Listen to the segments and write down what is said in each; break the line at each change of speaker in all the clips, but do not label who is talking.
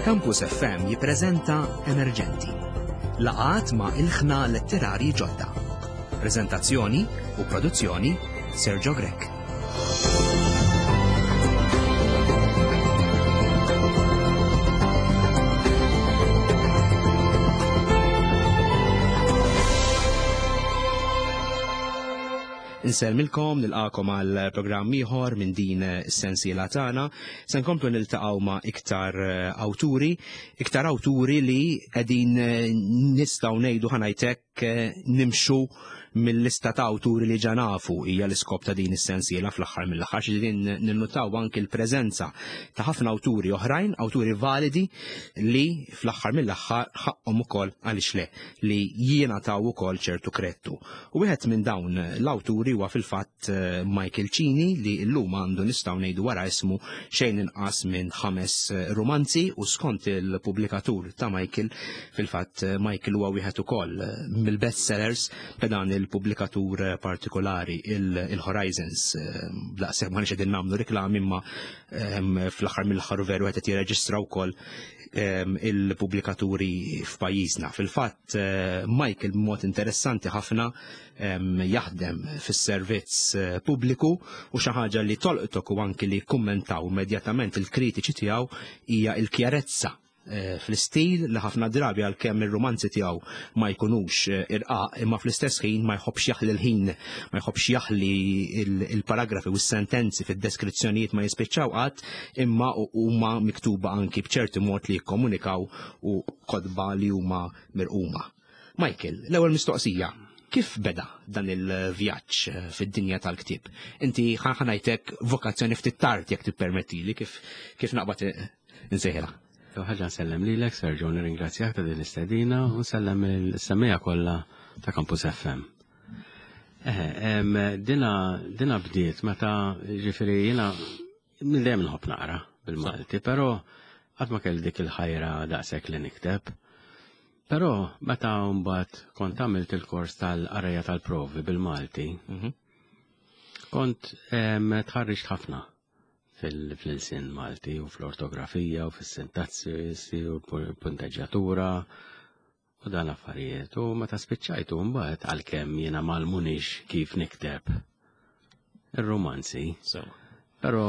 Campus FM jippreżenta Emerġenti. Laqgħat ma' ilħna letterarji ġodda. Preżentazzjoni u produzzjoni Sergio Grech. Insellmilkom, nilqakom għal programm ieħor minn din is-sensiela tagħna. Se nkomplu niltaqgħu ma' iktar eh, awturi, iktar awturi li qegħdin eh, nistgħu ngħidu ħanajtek eh, nimxu mill-lista ta' awturi li ġa nafu hija l-iskop ta' din is-sensiela fl-aħħar mill-aħħar xi din ninnutaw anki l-preżenza ta' ħafna awturi oħrajn, awturi validi li fl-aħħar mill-aħħar ħaqhom ukoll għaliex le li jingħataw ukoll ċertu krettu. U wieħed minn dawn l-awturi huwa fil-fatt eh, Michael Cini li llum għandu nistgħu ngħidu wara ismu xejn inqas minn ħames eh, rumanzi u skont il-pubblikatur ta' Michael fil-fatt eh, Michael huwa wieħed ukoll mill-bestsellers ta' dan il-pubblikatur partikolari il-Horizons. Daqshekk ma qegħdin nagħmlu riklami imma ehm, fl-aħħar mill-aħħar veru qed jirreġistra wkoll ehm, il-pubblikaturi f'pajjiżna. Fil-fatt Eh, Michael b'mod interessanti ħafna jaħdem fis-servizz eh, pubbliku u xi ħaġa li tolqtok u anki li kummentaw immedjatament il-kritiċi tiegħu hija l-kjarezza eh, fl-istil li ħafna drabi għalkemm ir-rumanzi tiegħu ma jkunux irqaq imma fl-istess ħin ma jħobbx jaħli l-ħin, ma jħobbx jaħli il-paragrafi u s-sentenzi fid-deskrizzjonijiet ma jispiċċaw qatt imma huma miktuba anki b'ċerti mod li jikkomunikaw u kotba li huma mirquma. Michael, l-ewwel mistoqsija, kif beda dan il-vjaġġ eh, fid-dinja tal-ktieb? Inti ħanajtek vokazzjoni ftit tard jekk tippermettili kif kif naqbad eh, insejħilha.
Ħaġa nsellem lilek, Sergio, nirringrazzjak ta' din l-istedina u nsellem il-semmija kollha ta' Campus FM. Eh, dina dina bdiet meta ġifieri jiena Minn dejjem nħobb naqra bil-Malti, però qatt ma kelli dik il-ħajra daqshekk li nikteb. Però meta mbagħad kont għamilt il-kors tal-qarrejja tal-provi bil-Malti, mhm. kont tħarriġt ħafna fil-ilsien Malti u fl-ortografija u fis-sintassi u l-punteġġjatura u dan l-affarijiet. U meta spiċċajtu mbagħad għalkemm jiena m'għallmunix kif nikteb ir-romanzi. Però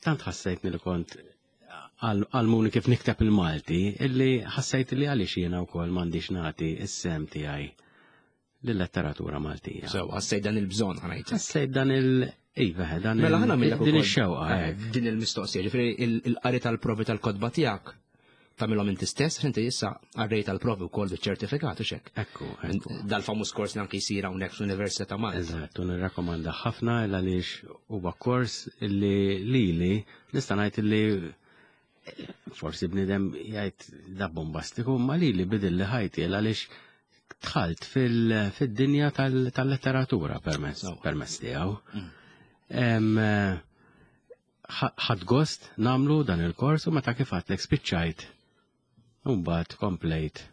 tant ħassejtni li kont għalmuni kif nikteb il-Malti illi ħassejt li għaliex jiena wkoll m'għandix nagħti s-sem tiegħi lill-letteratura Maltija.
Sew, ħassejt dan il-bżonn ħanajt.
Ħassejt dan il- Iva, dan
mela ħana
din ix-xewqa.
Eh, eh. Din il-mistoqsija, ġifieri il-qari tal-provi tal-kotba tiegħek tagħmilhom inti stess, inti issa għarrej tal-provi wkoll biċ-ċertifikat u xek.
Ekku,
Dal-famuż kors li anki jsir hawnhekk fl-Università ta' Malta.
Eżatt, u nirrakkomanda ħafna għaliex huwa kors li lili nista' ngħid li forsi bnidem jgħid da bombastiku, ma li li bidil li ħajti għaliex dħalt fil-dinja tal-letteratura permezz permezz tiegħu. Mm. Eh, ħadd gost namlu dan il-kors u meta kif għadlek spiċċajt. Mbagħad komplejt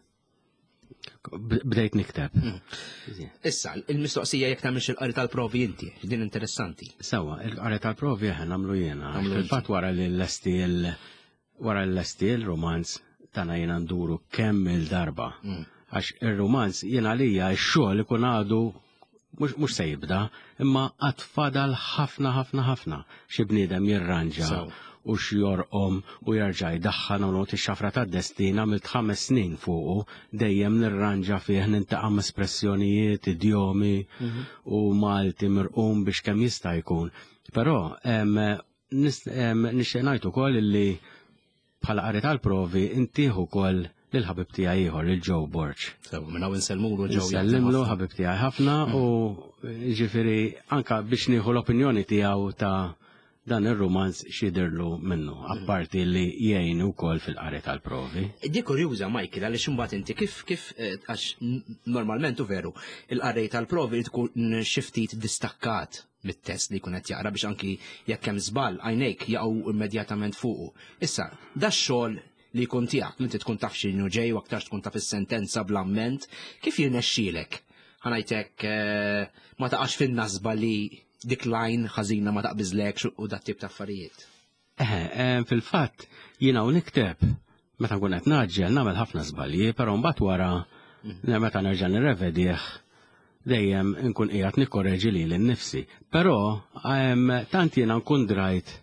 bdejt nikteb. Hmm.
Issa, il-mistoqsija jekk tagħmilx il-qari tal-provi inti, din interessanti.
Sawa, il-qari tal-provi aħna nagħmlu jiena. Fil-fatt wara li l-lesti wara l-lesti il-romanz tagħna jiena nduru kemm il-darba. Hmm. Għax ir-romanz jiena għalija x-xogħol ikun għadu mhux se jibda, imma għad fadal ħafna ħafna ħafna xi bniedem jirranġa u x'jorqom u jerġa' jdaħħan u not ix-xafra tad-destin għamilt ħames snin fuqu dejjem nirranġa fih nintaqa' espressjonijiet, idjomi mhm. u Malti mirqum biex kemm jista' jkun. Però nixtieq ngħid ukoll li Bħala qari tal-provi intih ukoll lil ħabib tiegħi ieħor lil Joe Borg.
Sew, minn hawn insellmulu Joe.
Nsellimlu ħabib tiegħi ħafna u ġifieri anka biex nieħu l-opinjoni tiegħu ta' dan ir-rumanz x'jidhirlu minnu, apparti li jgħin ukoll fil-qari tal-provi.
Di kurjuża, Michael, għaliex imbagħad inti kif kif eh, għax normalment u veru, il-qarrej tal-provi tkun xi ftit distakkat mit-test li jkun qed jaqra biex anki jekk hemm żball għajnejk jaqgħu immedjatament fuqu. Issa, da xogħol li jkun tiegħek, li inti tkun taf x'inhu ġej u aktarx tkun taf is-sentenza bl-amment, kif jirnexxielek? Ħanajtek eh, ma taqax fin-nasba li dik lajn ħażina ma taqbiżlekx u dat tip ta' affarijiet.
Eh, fil-fatt jiena u nikteb. Meta nkun qed naġġel nagħmel ħafna żbalji, però mbagħad wara meta nerġa' nirrevedih dejjem nkun qiegħed nikkoreġi lili nnifsi. Però tant jiena nkun drajt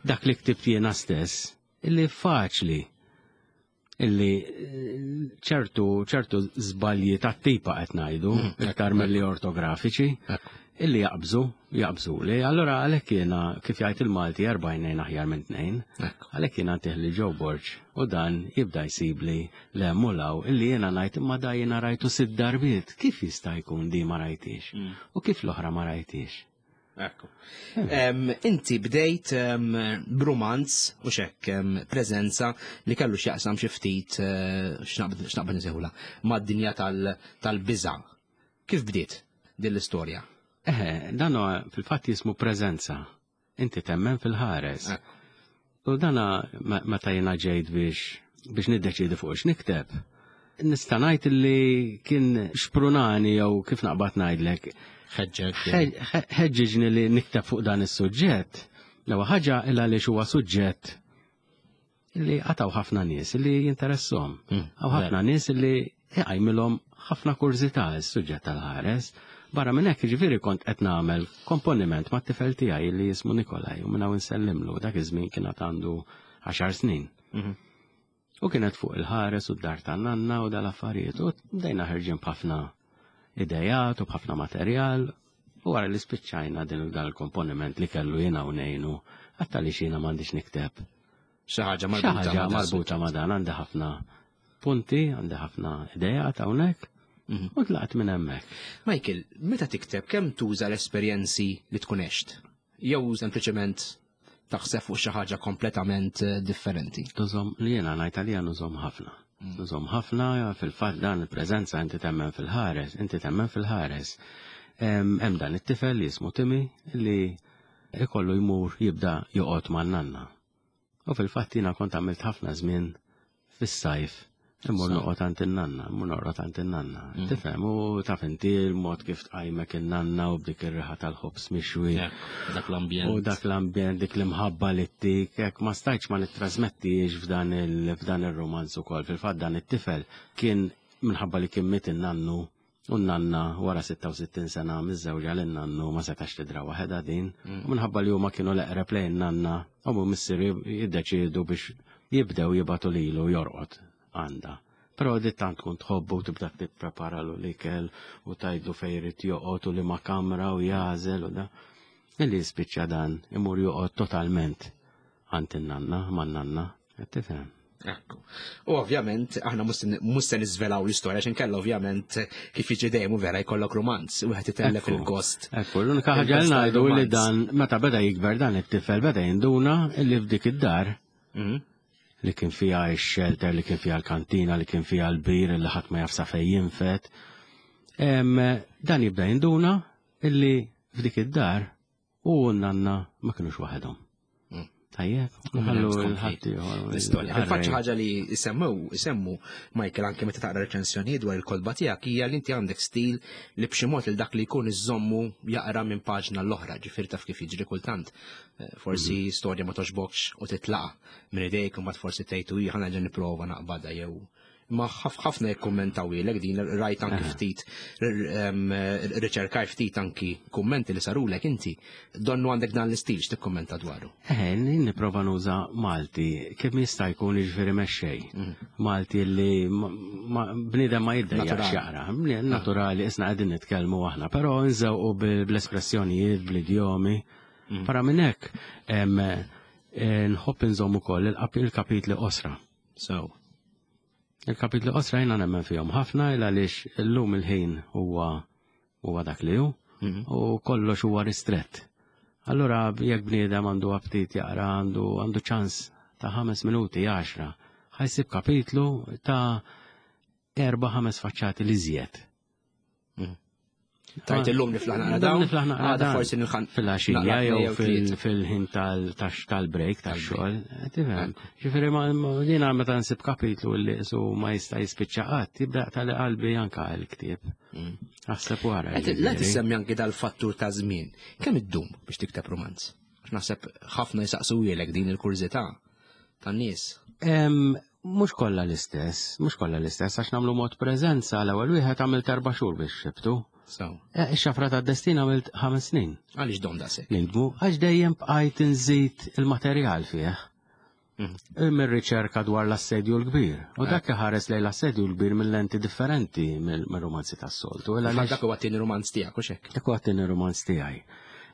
dak li ktibt jiena stess illi faċli illi ċertu ċertu żbalji tat-tipa qed ngħidu iktar milli ortografiċi illi jaqbżu, jaqbżu li. Allora għalhekk jiena kif jgħid il-Malti erbajnejn aħjar minn tnejn, għalhekk jiena ntih li Joe Borg u dan jibda jsibli l-hemm u law illi jiena ngħid imma da jiena rajtu sitt darbiet, kif jista' jkun di ma rajtix? U kif l-oħra ma rajtix?
Ekku. Inti bdejt b'rumanz u xekk preżenza li kellu x'jaqsam xi ftit eh, x'naqbad nsejħula mad-dinja tal-biża'. Kif bdiet din l-istorja?
Eħe, dan huwa fil-fatt jismu preżenza. Inti temmen fil-ħares. U dana meta jiena ġejt biex biex niddeċiedi fuq x'nikteb, nista' ngħid li kien xprunani jew kif naqbad ngħidlek.
Ħeġġek.
Ħeġġiġni li nikteb fuq dan is-suġġett. L-ewwel ħaġa illa li huwa suġġett li għataw ħafna nies li jinteressom. Għaw ħafna nies li iqajmilhom ħafna kurżità s-suġġett tal-ħares. Barra minn hekk jiġifieri kont qed nagħmel komponiment mat-tifel tiegħi li jismu Nikolaj u minn hawn insellimlu dak iż-żmien kien għad għandu 10 snin. U kienet fuq il-ħares u d-dar tan-nanna u dal-affarijiet u bdejna ħerġin b'ħafna idejat u b'ħafna materjal u wara li spiċċajna din dan il-komponiment li kellu jiena u ngħinu għatta li xina m'għandix nikteb.
Xi ħaġa marbuta
marbuta ma' dan għandi ħafna punti, għandi ħafna idejat hawnhekk. U tlaqt minn hemmhekk.
Michael, meta tikteb kemm tuża l-esperjenzi li tkun għext? Jew sempliċement taħseb fuq xi ħaġa kompletament eh, differenti?
Tużom li jiena ngħid għalija nużom ħafna. Nużom ħafna fil-fatt dan il-preżenza inti temmen fil-ħares, inti temmen fil-ħares. Hemm dan it-tifel li jismu Timi li ikollu jmur jibda joqgħod man-nanna. U fil-fatt jiena kont għamilt ħafna żmien fis-sajf immur noqgħod għand in-nanna, immur noqgħod għand in-nanna. Tifhem, u taf inti l-mod kif tqajmek in-nanna u b'dik ir-riħa tal-ħobż mixwi.
Dak l-ambjent.
U dak l-ambjent, dik l-imħabba li ttik, hekk ma stajtx ma nittrasmettix f'dan il-romanz ukoll. Fil-fatt dan it-tifel kien minħabba li kien miet in-nannu U n-nanna wara 66 sena miżżewġa lin nannu ma setax tidra waħedha din. Mm. U minħabba li huma kienu l-eqreb lejn nanna, u missier jiddeċiedu biex jibdew jibatu lilu jorqod għandha. Però di tant tkun tħobbu u tibda tipprepara l ikel u tajdlu fejn irid joqgħod u li ma kamra u jażel u da. Illi jispiċċa dan imur joqgħod totalment għand in-nanna, man-nanna, qed tifhem.
Ekku. U ovvjament, aħna mhux se niżvelaw l-istorja x'in kella ovvjament kif jiġi dejjem u vera jkollok romanz u wieħed itellef il-gost.
Ekku, l-unika ħaġa li ngħidu li dan meta beda jikber dan it-tifel beda jinduna li f'dik id-dar mhm. li kien fiha x-shelter, li kien fiha l-kantina, li kien fiha l-bir li ħadd ma jaf sa fejn jinfet. Dan jibda jinduna illi f'dik id-dar U n-nanna ma kienux waħedhom. Mm. Tajjeb, nħallu l-ħadd
L-istorja. Fil-fatt xi ħaġa li jsemmew, isemmu Michael anke meta taqra reċensjonijiet dwar il-kotba tiegħek hija li inti għandek stil li b'xi mod il dak li jkun iżommu jaqra minn paġna l-oħra, ġifier taf kif jiġri kultant. Eh, forsi mm. storja ma toġbokx u titlaqa minn idejk u mbagħad forsi tgħid u ħa nipprova naqbadha jew Ma ħafna jikkummentawilek din rajt anki ftit riċerkaj ftit anki kummenti li sarulek inti. Donnu għandek dan l-istil x'tikkummenta dwaru.
Eħe, nipprova nuża Malti kemm jista' jkun jiġifieri mexxej. Mm. Malti li bniedem ma jiddejjaqx jaqra. Naturali isna qegħdin nitkellmu aħna, però nżewqu bl-espressjonijiet, bl-idjomi. Mm. Para minn hekk eh, nħobb inżomm ukoll il-kapitli qosra.
So.
Il-kapitli qosra jiena nemmen fihom ħafna il għaliex illum il-ħin huwa huwa dak li hu mhm. u kollox huwa ristrett. Allura jekk bniedem għandu aptit jaqra għandu għandu ċans ta' ħames minuti, għaxra, ħajsib kapitlu ta' erba' ħames faċċati li żjed.
Mm. Tajt illum niflaħ naqra dawn.
Niflaħ naqra
dawn. Forsi nilħan.
Fil-għaxija jew fil-ħin tal-break tax-xogħol. Tifhem. Ġifieri jiena meta nsib kapitlu li su ma jista' jispiċċa qatt, jibda tal qalbi anka l-ktieb. Mm. Aħseb wara.
La tissemmi anki dal-fattur ta' żmien. Kemm iddum biex tikteb romanz? Naħseb ħafna jisaqsu din il-kurżità tan-nies.
Mhux kollha l-istess, mhux kollha l-istess għax nagħmlu mod preżenza l-ewwel wieħed għamilt erba' xhur biex xibtu.
So.
Eh, ix-xafra tad-destin għamilt ħames snin.
Għaliex dom daqshekk?
Nindmu għax dejjem bqajt inżid il-materjal fih. Mhm. Mir-riċerka dwar l-assedju l-kbir. U eh. dak iħares lejn l-assedju l-kbir minn lenti differenti mill-romanzi tas-soltu.
Dak huwa t-tieni romanz tiegħek u xek.
Dak huwa t-tieni romanz tiegħi.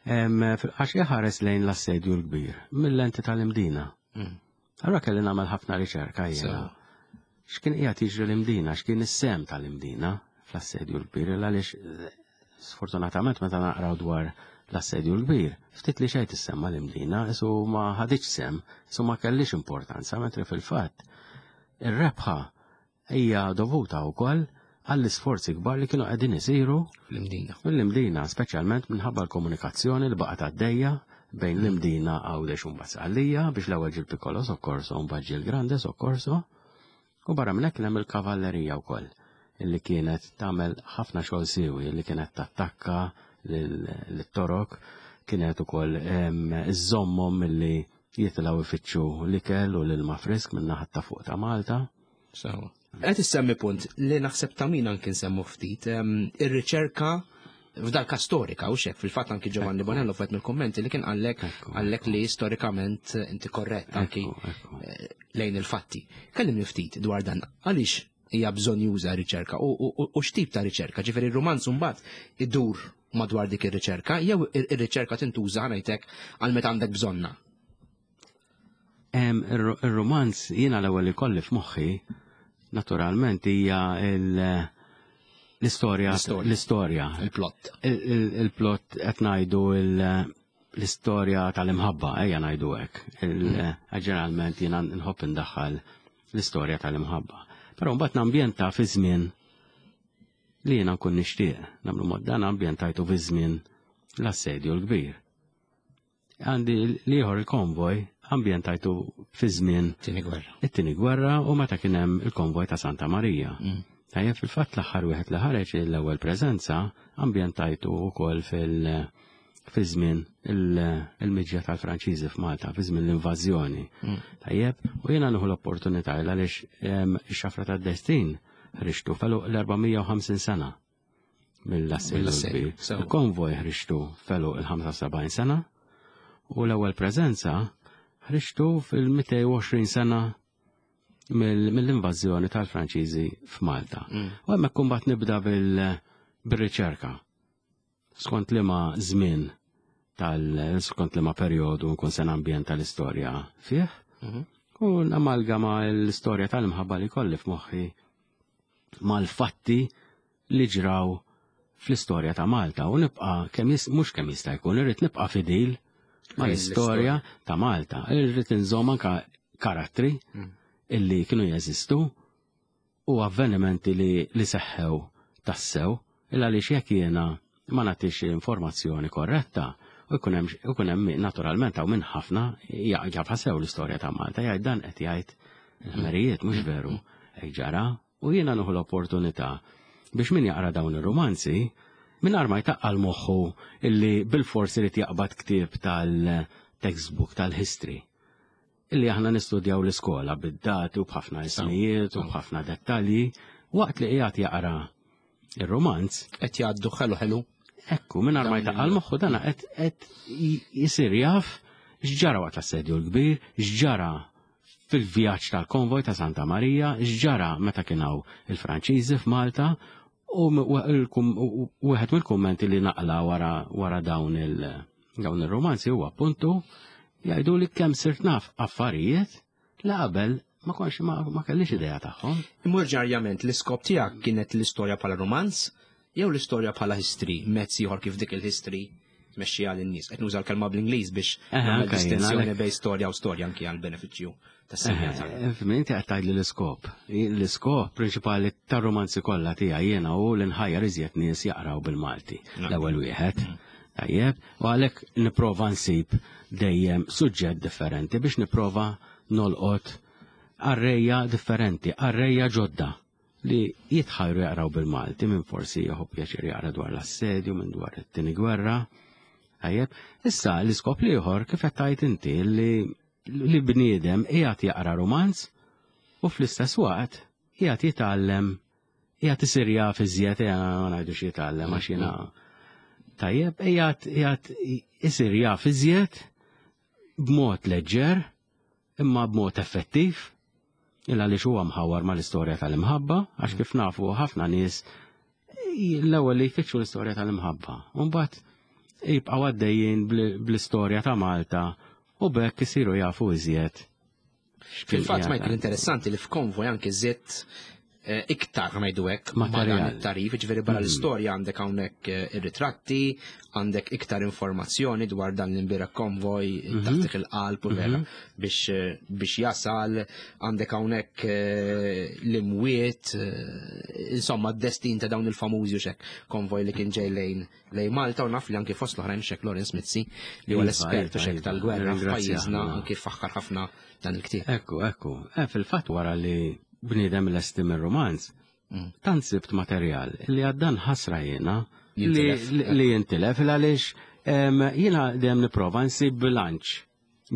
Għax iħares lejn l-assedju l-kbir mill-lenti tal-imdina. Mhm. Allura kelli nagħmel ħafna riċerka jiena. X'kien qiegħed jiġri l-Imdina, x'kien is-sem tal-Imdina fl-assedju l-kbir, għaliex eh, sfortunatament meta naqraw dwar l-assedju l-kbir, ftit li xejn tissemma l-Imdina, isu ma ħadiċ sem, isu ma kellix importanza, mentri fil-fatt ir-rebħa hija dovuta wkoll għall-isforzi kbar li kienu qegħdin isiru
fl-Imdina.
Fl-Imdina, speċjalment minħabba l-komunikazzjoni li baqgħet għaddejja bejn l-Imdina Għawdex u mbagħad Sqallija biex l-ewwel ġie l-Piccolo Soccorso u mbagħad ġie l-Grande Soccorso. U barra minn hekk hemm il-kavallerija wkoll illi kienet tagħmel ħafna xogħol siwi li kienet tattakka lit-torok kienet ukoll iżżommhom milli jitilgħu ifittxu l-ikel u l-ilma frisk minn naħat ta' fuq ta' Malta.
Sewa. Qed issemmi punt li naħseb ta' min anki nsemmu ftit, ir-riċerka f'dal każ storika u xek fil-fatt anki Giovanni Bonello fet mill-kummenti li kien qallek qallek li storikament inti korrett anki eh, lejn il-fatti. Kellimni ftit dwar dan għaliex hija bżonn juża riċerka u x'tip ta' riċerka, ġifieri r-rumanz mbagħad idur madwar dik ir-riċerka jew ir-riċerka tintuża ngħidlek għal meta għandek bżonna.
Ir-romanz jiena l-ewwel li kolli f'moħħi naturalment hija l-istorja l-istorja
il-plot.
Il-plot qed ngħidu l-istorja tal-imħabba ejja ngħidu hekk. Mm. Ġeneralment jiena nħobb indaħħal l-istorja tal-imħabba. Però mbagħad nambjenta fi żmien li jiena nkun nixtieq. Nagħmlu mod dan ambjentajtu fi żmien l-assedju l-kbir. Għandi l-ieħor il-konvoj ambjentajtu fi żmien
Tieni gwerra.
It-tieni gwerra u meta kien hemm il-konvoj ta' Santa Marija. Mm. Tajjeb fil-fatt l-aħħar wieħed li ħareġ l-ewwel preżenza ambjentajtu wkoll fil- fi żmien il-miġja tal-Franċiżi f'Malta, fi żmien l-invażjoni. Mm. Tajjeb, u jiena nieħu l-opportunità għaliex ix-xafra tad-destin ħriġtu felu l-450 sena. mill-assedju. Il-konvoj ħriġtu felu il-75 sena u l-ewwel preżenza ħriġtu fil-220 sena mill-invażjoni tal-Franċiżi f'Malta. Mm. U hemmhekk kumbat nibda bil-riċerka. Skont liema żmien tal skont liema perjodu nkun se nambjenta l-istorja fih. Mhm. U namalgama l-istorja tal-imħabba li kolli f'moħħi mal-fatti li ġraw fl-istorja ta' Malta u nibqa' kemm mhux kemm jista' jkun irrid nibqa' fidil mal-istorja ta' Malta. Irrid inżomm anka karattri mm. illi kienu jeżistu u avvenimenti li, li seħħew tassew illa li jekk jiena ma nagħtix informazzjoni korretta u jkun hemm naturalment hawn minn ħafna jafha sew l-istorja ta' Malta jgħid dan qed jgħid il-ħmerijiet mhux veru hekk ġara u jiena nieħu l-opportunità biex min jaqra dawn ir-rumanzi mingħajr ma jtaqqal moħħu illi bil-forsi li jaqbad ktieb tal-textbook tal-history illi aħna nistudjaw l-iskola bid-dati u b'ħafna ismijiet u b'ħafna dettalji waqt li qiegħed jaqra ir-romanz.
Qed jgħaddu ħelu ħelu.
Ekku, mingħajr ma jtaqqal moħħu dana qed jisir jaf x'ġara waqt l-assedju l-kbir, x'ġara fil-vjaġġ tal-konvoj ta' Santa Marija, x'ġara meta kien hawn il-Franċiżi f'Malta u wieħed mill-kummenti li naqla wara wara dawn il dawn ir-romanzi huwa appuntu jgħidu li kemm sirt naf affarijiet li qabel ma konx ma, ma kellix idea tagħhom.
Imurġarjament l-iskop tiegħek kienet l-istorja bħala romanz jew l-istorja bħala history, mezz ieħor kif dik il-history tmexxiha lin-nies. Qed nuża l-kelma bl-Ingliż biex nagħmel distinzjoni bejn storja u storja anki għal benefiċċju tas-semmiegħa
tagħna. Inti qed tgħidli l-iskop. L-iskop prinċipali tar-romanzi kollha tiegħi jiena hu li nħajjar iżjed nies jaqraw bil-Malti. L-ewwel wieħed. Mm. Tajjeb, u għalhekk nipprova nsib dejjem suġġett differenti biex nipprova nolqot qarrejja differenti, qarrejja ġodda li jitħajru jaqraw bil-Malti minn forsi jieħu pjaċir jaqra dwar l-assedju, minn dwar it-tieni gwerra. Tajjeb, issa l-iskop l-ieħor kif qed tgħid inti li li bniedem qiegħed jaqra romanz U fl-istess waqt qiegħed jitgħallem qiegħed isir jaf iżjed ma ngħidux jitgħallem għax jiena tajjeb qiegħed isir jaf iżjed b'mod leġġer imma b'mod effettiv il għaliex huwa mħawar mal-istorja tal-imħabba għax kif nafu ħafna nies l-ewwel li jfittxu l-istorja tal-imħabba. U mbagħad jibqgħu għaddejjin bl-istorja ta' Malta u bekk isiru jafu iżjed.
Fil-fatt Michael interessanti li f'konvoj anke żidt eh, iktar ngħidu hekk ma' dan it-tarif, ġifieri barra mm. l-istorja għandek hawnhekk eh, ir-ritratti, għandek iktar informazzjoni dwar dan l-imbira konvoj mhm. taħt il-qalb u vera mhm. biex eh, biex jasal, għandek hawnhekk l-imwiet, insomma d-destin ta' dawn il-famużi u xek konvoj li kien ġej lejn lejn Malta u naf li anki fost l-oħrajn xek Lawrence Mizzi li huwa iva, l-espert u xek iva, tal-gwerra f'pajjiżna anki faħħar ħafna dan il-ktieb.
Ekku, ekku. Eh, fil-fatt wara li bniedem lesti mir-romanz, mm. tant sibt materjal li għaddan ħasra jiena li jintilef għaliex jiena dejjem nipprova nsib bilanċ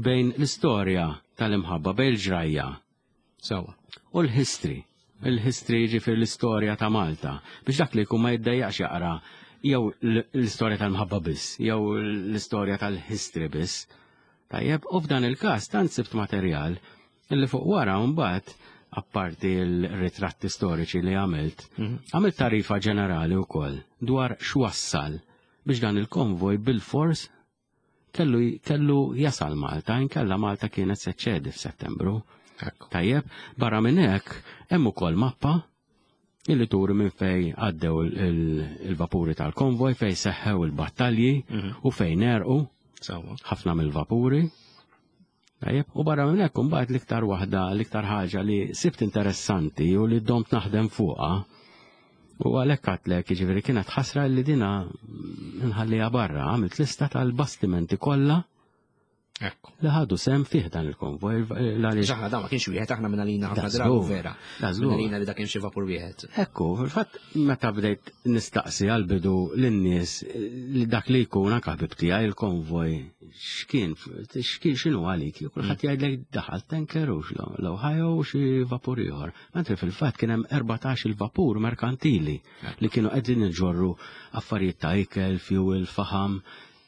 bejn l-istorja tal-imħabba, bejn il-ġrajja
Sewa.
U l-history. Il-history ġifir l-istorja ta' Malta. Biex dak li jkun ma jiddejjaqx jaqra jew l-istorja tal-mħabba biss, jew l-istorja tal-history biss. Tajjeb, u f'dan il-każ tant sibt materjal illi fuq wara mbagħad apparti l-ritratti storiċi li għamilt, mhm. għamilt tarifa ġenerali wkoll dwar x'wassal biex dan il-konvoj bil-fors kellu kellu jasal Malta, inkella Malta kienet se ċedi f'Settembru. Tajjeb, barra minn hekk hemm ukoll mappa illi turi minn fej għaddew il-vapuri tal-konvoj, fej seħħew il-battalji mhm. u fejn erqu ħafna mill-vapuri. Tajjeb, u barra minn hekk imbagħad l-iktar waħda, l-iktar ħaġa li sibt interessanti u li domt naħdem fuqha u għalhekk għatlek jiġifieri kienet ħasra li dina nħalliha barra, għamilt lista tal-bastimenti kollha
Ekku.
Li ħadu sem fih dan il-konvoj.
Aħna da ma kienx wieħed, aħna minn għalina ħafna drabi vera. Minn għalina li da kien xi vapur wieħed.
Ekku, fil-fatt meta bdejt nistaqsi għal-bidu lin-nies li dak li jkun anke ħbib tiegħi il-konvoj x'kien x'kien x'inhu għalik, kulħadd mm. jgħidlek daħal tanker u l-Ohio u xi vapur ieħor. Mentri fil-fatt kien hemm 14 il-vapur merkantili li kienu qegħdin iġorru affarijiet ta' ikel, fuel, faham,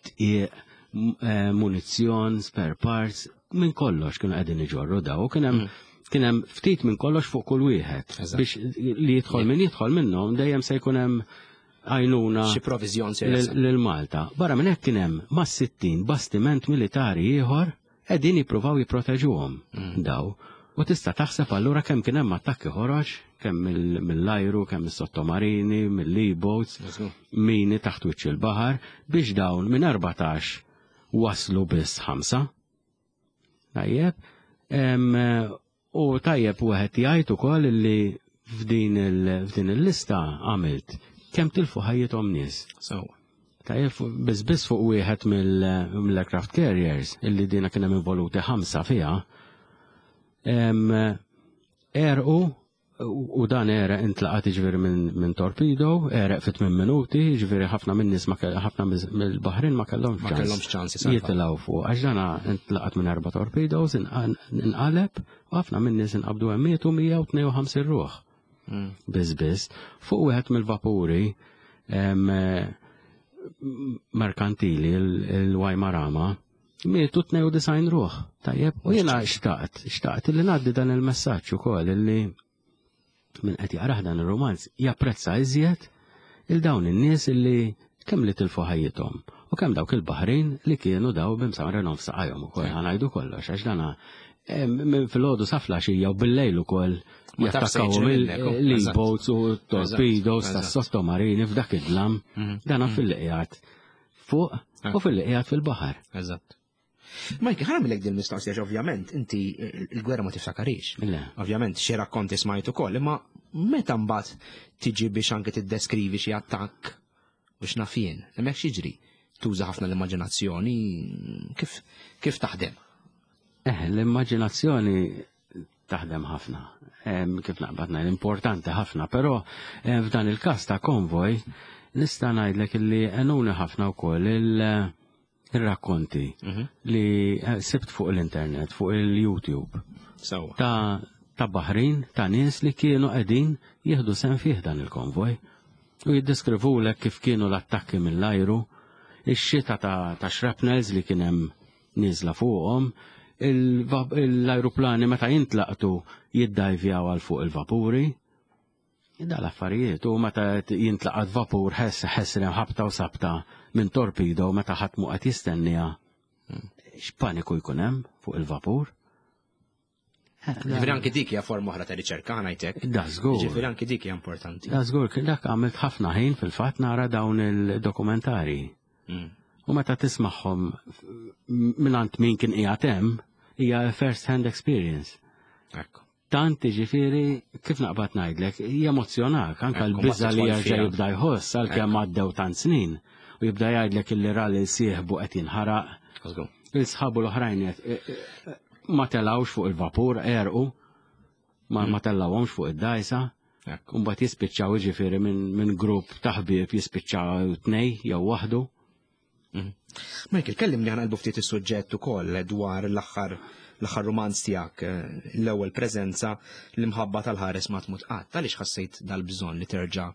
tqiq, eh, munizzjon, spare parts, minn kollox kienu qegħdin iġorru daw. Kien hemm mm. kien hemm ftit minn kollox fuq kull wieħed biex li jidħol min jidħol minnhom dejjem se jkun hemm għajnuna
xi proviżjon
lil Malta. Barra minn hekk kien hemm ma' 60 bastiment militari ieħor qegħdin jippruvaw jipproteġuhom mm. daw. U tista' taħseb allura kemm kien hemm attakki ħoroġ, kemm mill-ajru, kemm mis-sottomarini, mill-e-boats, mini taħt wiċċ il-baħar, biex dawn minn 14 waslu biss ħamsa. Tajjeb, U tajjeb wieħed jgħid ukoll li f'din il-lista għamilt kemm tilfu ħajjithom nies.
Sewwa.
Tajjeb biss biss fuq wieħed mill-aircraft carriers illi dina kien hemm involuti ħamsa fiha. Erqu U dan għereq intlaqat jiġifieri minn torpedo, għereq fi 8 minuti, jiġifieri ħafna minn nies ħafna mill-baħrin ma kellhomx
Ma kellhomx ċans
jitilgħu fuq għax dan intlaqat minn erba' torpedoes inqaleb u ħafna minn nies inqabdu hemm mietu 152 ruħ. Mm. Biss biss, fuq wieħed mill-vapuri merkantili il-Wajmarama Mietu 92 ruħ, tajjeb, u jiena xtaqt, xtaqt li ngħaddi dan il-messaġġ ukoll li min qed jaqrah dan ir-romanz japprezza iżjed il dawn in-nies li kemm li tilfu ħajjithom u kemm dawk il-baħrin li kienu daw b'imsamrenhom f'saqajhom ukoll ħanajdu kollox għax dana eh, minn filgħodu sa flaxija u bil-lejl ukoll jattakkawhom il-boats u torpedoes tas-sottomarini f'dak id-dlam mhm. dana mhm. fil-qiegħed fuq ah. u fil-li qiegħed fil-baħar.
Eżatt. Mike, ħa nagħmilek din mistoqsija ovvjament inti il-gwerra ma tiftakarix. Ovvjament xi rakkonti smajt ukoll, imma meta mbagħad tiġi biex anke tiddeskrivi xi attakk biex naf jien, hemmhekk x'jiġri? Tuża ħafna l-immaġinazzjoni, kif kif taħdem?
Eh, l-immaġinazzjoni taħdem ħafna. Kif naqbad ngħid importanti ħafna, però f'dan il-każ ta' konvoj nista' ngħidlek illi għenuni ħafna wkoll il-rakkonti mhm. li eh, sibt fuq l-internet, fuq il-YouTube. Ta' ta' baħrin ta' nies li kienu qegħdin jieħdu sehem fih dan il-konvoj. U jiddeskrivulek kif kienu l-attakki mill-ajru, ix-xita ta', ta shrapnels li kien hemm nieżla fuqhom, l-ajruplani meta jintlaqtu jiddajvjaw għal fuq il-vapuri. Da l-affarijiet u meta jintlaqat vapur ħess ħesrem ħabta u sabta minn torpedo meta ħadd mu qed jistennija. X'paniku jkun hemm fuq il-vapur?
Ġifieri anki dik hija forma oħra ta' riċerka ngħidlek.
Da żgur.
Ġifieri anki dik hija importanti.
Da żgur, dak għamilt ħafna ħin fil-fatt nara dawn il-dokumentari. U meta tismagħhom mingħand min kien qiegħed hemm, hija first hand experience.
Ekku.
Tant ġifieri kif naqbad ngħidlek, jemozzjonak anke l-biża' li jerġa' jibda jħoss għalkemm għaddew tant snin u jibda jgħidlek illi ra lil sieħbu qed jinħaraq. Il-sħabu l-oħrajn ma telawx fuq il-vapur, erqu, ma, ma tellawhomx fuq id-dajsa. Mbagħad jispiċċaw jiġifieri minn min grupp ta' ħbieb jispiċċaw tnej jew waħdu.
Mhm. Michael, kellimni ħa nqalbu ftit is-suġġett ukoll dwar l-aħħar l-aħħar romanz tiegħek, eh, l-ewwel preżenza l-imħabba tal-ħares ma tmut qatt. Għaliex ħassejt dal-bżonn li terġa'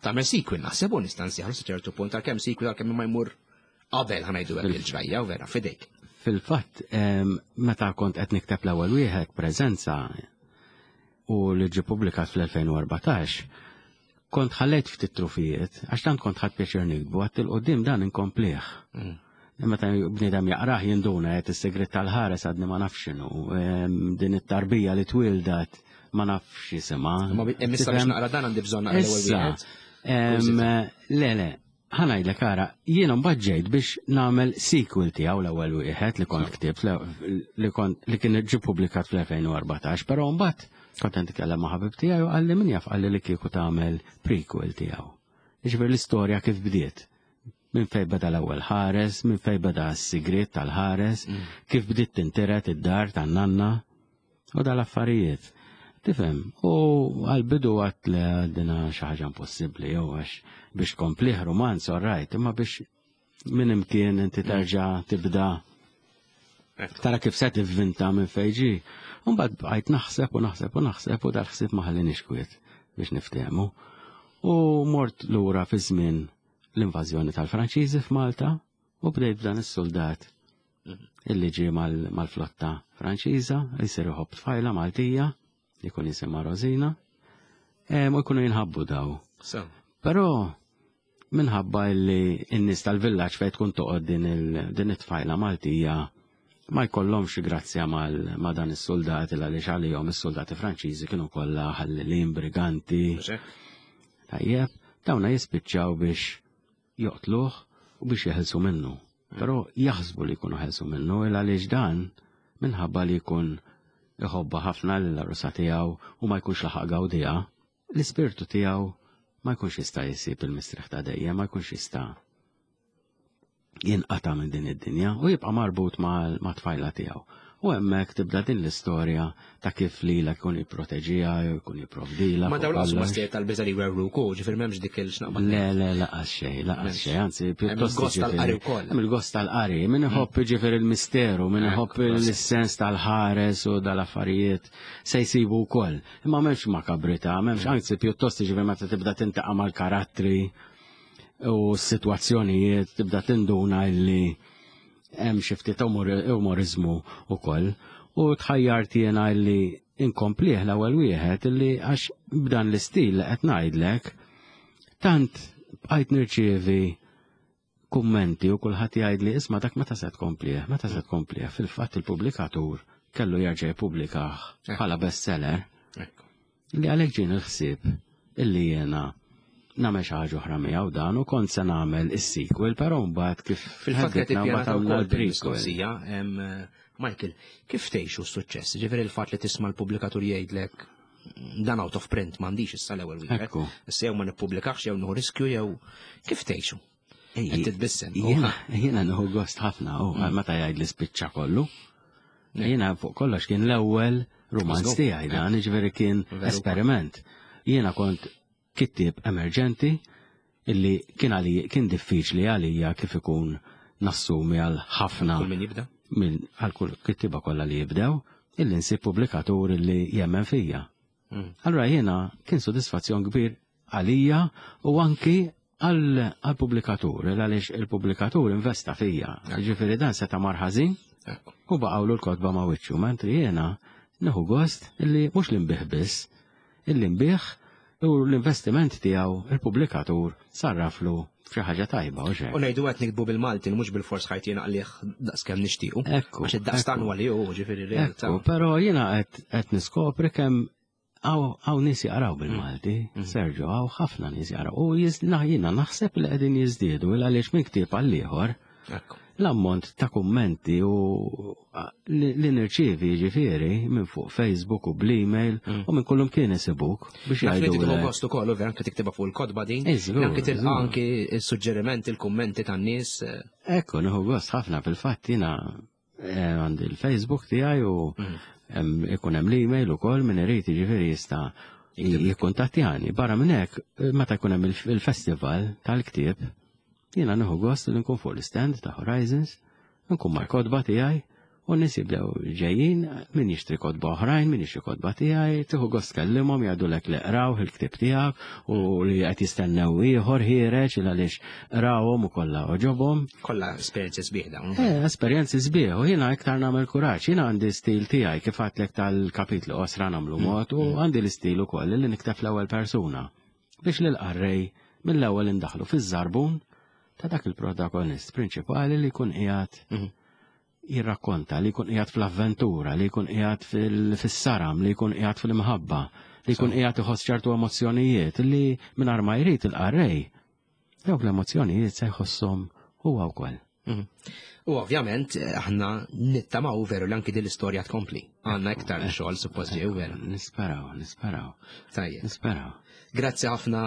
tagħmel sequel naħseb u nista' nsieħlu sa ċertu punt għalkemm sequel għalkemm ma jmur qabel ħanajdu hekk il-ġrajja u vera fidejk.
Fil-fatt, meta kont qed nikteb l-ewwel wieħed preżenza u li ġie publikat fl-2014, kont ħallejt ftit trufijiet, għax tant kont ħadd pjaċir nikbu, għat il-qoddim dan inkomplih. Meta bniedem jaqrah jinduna qed is-segret tal-ħares għadni ma nafx x'inhu, din it-tarbija li twildat ma nafx jisimha.
Ma issa biex naqra dan għandi bżonn naqra l-ewwel wieħed.
Le, le, ħa ngħidlek ara, jiena mbagħad ġejt biex nagħmel sequel tiegħu l-ewwel wieħed li kont ktibt li kont li kien ġie publikat fl-2014, però mbagħad kont qed nitkellem ma' ħabib tiegħi u qalli min jaf qalli li kieku tagħmel prequel tiegħu. Jiġifieri l-istorja kif bdiet. Minn fejn beda l-ewwel ħares, minn fejn beda s-sigriet tal-ħares, kif bdiet tintiret id-dar tan-nanna u dal-affarijiet. Tifhem, u għal-bidu għat li dina xi ħaġa impossibbli jew għax biex tkomplih romanz all right, imma biex minn imkien inti terġa' tibda tara kif se tivvinta minn fejn ġie. Mbagħad bqajt naħseb u naħseb u naħseb u dal-ħsieb ma ħallinix kwiet biex niftehmu. U mort lura fi żmien l-invażjoni tal-Franċiżi f'Malta u bdejt b'dan is-soldat illi ġie mal-flotta Franċiża, jsir iħobb tfajla Maltija, jkun jisimha Rosina, u jkunu jinħabbu daw. Però minħabba illi n-nies tal-villaġġ fejn tkun toqgħod din it-tfajla Maltija ma jkollhomx grazzja ma' dan is-soldati għaliex għalihom is-soldati Franċiżi kienu kollha ħallelin, briganti. Tajjeb, dawna jispiċċaw biex joqtluh u biex jeħilsu minnu. Però jaħsbu li jkunu ħelsu minnu il għaliex dan minħabba li jkun iħobba ħafna lill-għarusa tiegħu u ma jkunx laħaq gawdiha, l-ispirtu tiegħu ma jkunx jista' jsib il-mistrieħ ta' dejjem, ma jkunx jista' jinqata' minn din id-dinja u jibqa' marbut ma' tfajla tiegħu. U hemmhekk tibda din l-istorja ta' kif lilha jkun jipproteġiha jew jkun jipprovdilha.
Ma dawn laqas huma stejjer tal-biża' li jwerwruk hu, ġifieri m'hemmx dik il-xnaqba.
Le, le, laqas xejn, laqas xejn, anzi
pjuttost. Hemm il-gost tal-qari wkoll.
Hemm il-gost tal-qari, min iħobb jiġifieri l-misteru, min iħobb is-sens tal-ħares u dal-affarijiet se jsibu wkoll. Imma m'hemmx makabrità, m'hemmx anzi pjuttost jiġifieri meta tibda tintaqa' mal-karattri u s-sitwazzjonijiet tibda tinduna illi hemm xi ftit umoriżmu wkoll u tħajjart jiena illi inkomplih l-ewwel wieħed illi għax b'dan l-istil li qed ngħidlek tant bqajt nirċievi kummenti u kulħadd jgħidli isma' dak meta se tkomplih, meta se tkomplih. Fil-fatt il-pubblikatur kellu jerġa' jippubblikah bħala bestseller. Li għalhekk ġieni l-ħsieb illi jiena nagħmel xi ħaġa oħra miegħu dan u kont se nagħmel is-sequel, però mbagħad kif
fil-fatt qed ippjanata wkoll mistoqsija, Michael, kif tgħixu s-suċċess? Ġifieri il-fatt li tisma' l-pubblikatur jgħidlek dan out of print m'għandix issa l-ewwel wieħed. Issa jew ma nippubblikax jew nieħu riskju jew kif tgħixu? Qed titbissem.
Jiena nieħu gost ħafna u meta jgħid li spiċċa kollu. Jiena fuq kollox kien l-ewwel rumanz tiegħi dan, jiġifieri kien esperiment. Jiena kont kittieb emerġenti illi kien għalija kien diffiċli għalija kif ikun nassumi għal ħafna.
Kull min jibda?
Għal kull kittieba kollha li jibdew. illi nsib pubblikatur illi jemmen fija. Allura jiena kien sodisfazzjon kbir għalija u anki għal-pubblikatur, għaliex il-pubblikatur investa fija. Ġifieri dan seta' mar ħażin u baqgħulu l-kotba ma' wiċċu, mentri jiena nieħu gost illi mhux li nbih biss, illi nbih u l-investiment tiegħu il-pubblikatur sarraflu f'xi ħaġa tajba u xejn.
U ngħidu qed nikbu bil-Malti mhux bil-fors ħajt jiena għalih daqskemm nixtiequ.
Ekku.
Għax id-daqstan huwa li hu ġifieri realtà.
Ekku, però jiena qed niskopri kemm hawn nies jaqraw bil-Malti, Sergio, hawn ħafna nies jaqraw. U jiena naħseb li qegħdin jiżdiedu għaliex minn ktieb għal ieħor l-ammont ta' kummenti u li nirċievi ġifieri minn fuq Facebook u bl-email u minn kullum kien isibuk biex
Naf li
jgħidu.
tieħu gost ukoll u vera anke tiktibha fuq il-kotba din.
Iżgur,
Anke tilqa'
iżgur.
anke s-suġġerimenti, il-kummenti tan-nies.
Ekku, nieħu gost ħafna fil-fatt jiena għandi l-Facebook tiegħi u ikun hemm l-email ukoll min irid jiġifieri jista' jikkuntattjani. Barra minn hekk, meta jkun hemm il-festival tal-ktieb, jiena nieħu gost li nkun fuq l-stand ta' Horizons, nkun mal-kotba tiegħi u n-nies jibdew ġejjin min jixtri kotba oħrajn, min jixtri kotba tiegħi, tieħu gost tkellimhom jgħidulek li qraw il-ktieb tiegħek u li qed jistennew ieħor ħiereġ il għaliex qrawhom u kollha oġobhom.
Kollha esperjenzi sbieħ dawn.
Esperjenzi sbieħ u jiena iktar nagħmel kuraġġ, jiena għandi stil tiegħi kif għadtlek tal-kapitlu qosra nagħmlu mod u għandi l-istil ukoll li nikteb l-ewwel persuna biex lil qarrej mill-ewwel indaħlu fiż-żarbun ta' dak il-protagonist prinċipali li jkun qiegħed jirrakkonta, li jkun qiegħed fl-avventura, li jkun qiegħed fis-saram, li jkun qiegħed fil-imħabba, li jkun qiegħed iħoss ċertu emozzjonijiet li mingħajr ma jrid il-qarrej. Dawk l-emozzjonijiet se jħosshom huwa wkoll.
U ovvjament aħna nittamaw veru li anki din l-istorja tkompli. Għandna iktar xogħol suppost ġew veru.
Nisperaw, nisperaw.
Tajjeb.
Nisperaw.
Grazzi ħafna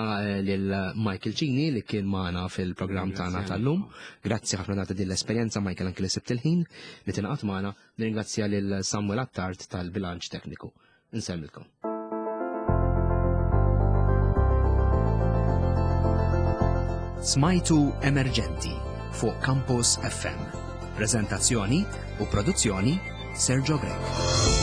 lil Michael Cini li kien magħna fil-programm tagħna tal-lum. Grazzi ħafna ta' din l-esperjenza Michael anki li sibt il-ħin li tingħaqad magħna. Nirringrazzja lil Samuel Attard tal-bilanċ tekniku. Insellmilkom. Smajtu Emerġenti fuq Campus FM. Prezentazzjoni u produzzjoni Sergio Grech.